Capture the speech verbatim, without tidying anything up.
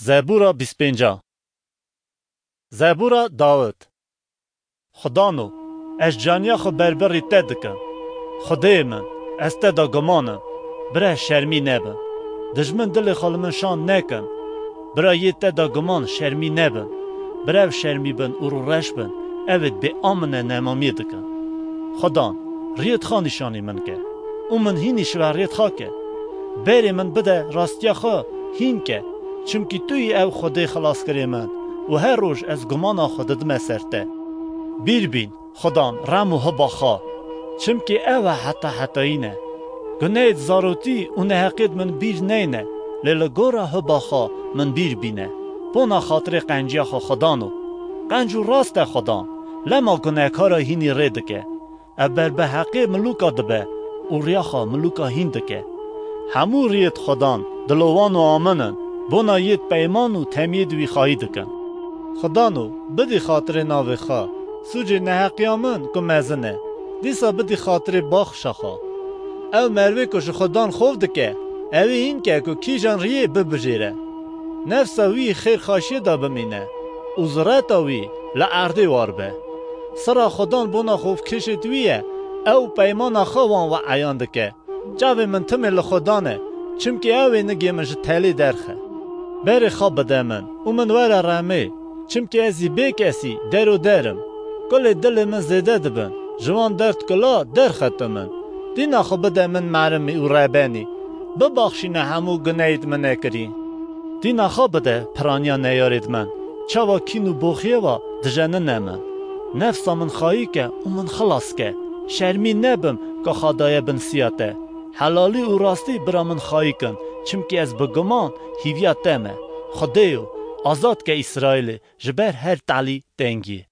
Zebûra bîst pênc. Zebûra Dawid. Xudano, ez caniya xwe berbirî te dikim. Xwedê min, ez te de guman im. Bira şermî nebin. Dijmin dilê xwe li min şand nekin. Bira yê te de guman şermî nebin. Bira ev şermî bin û rûreş bin, ev ê bê amine nemamiyê dikin. Xudan, riyêt xwe nîşanî min ke û min hînî şiva riyêt xwe ke. Berê min bide rastiya xwe hîn ke, çimkî tu yî ew Xwedê xilaskirê min û her roj ez gumana xwe didime ser te. Bîr bîn, Xudan, rem û hiba xwe, çimkî ew e heta hetayî ne. Guneyêt zarotî û neheqêt min bîr neyne, lê li gora hiba xwe min bîr bîne. Bona xatirê qenciya xwe Xudano. Qenc û rast e Xudan, lema gunekara hînî rê dike. Ev berbeheqê milûka dibe û riya xwe milûka hîn dike. Hemû riyêt Xudan dilovan û amin in, bona yêt peyman û temiyêt wî xayî dikin. Xudano, bidî xatirê navê xwe, sûcê neheqiya min ku mezin e, dîsa bidî xatirê baxşa xwe. Ew merivê ku ji Xudan xof dike, ewî hîn ke ku kîjan riyê bibijêre. Nefsa wî xêrxaşiyê de bimîne û zireta wî li erdê war be. Sira Xudan bona xofkêşêt wî ye, ew peymana xwe wan ve eyan dike. Çavê min timê li Xudan e, çimkî ew ê nigê min ji telê derxe. Berê xwe bide min û min were remê, çimkî ez î bê kesî der û der im. Kulê dilê min zêde dibin, ji wan derd kula derxete min. Dîna xwe bide min merimî û rebenî, bibaxşîne hemû guneyêt min nekirî. Dîna xwe bide piraniya neyarêt min, çawa kîn û boxiyê ve dijenine min. Nefsa min xayî ke û min xilas ke, şermî nebim ka xwe daye bin siya te. Helalî û rastî bira min xayî kin, çimkî ez bi guman hîviya te me. Xwedêyo, azad ke Îsraîlê ji ber her talî tengiyê.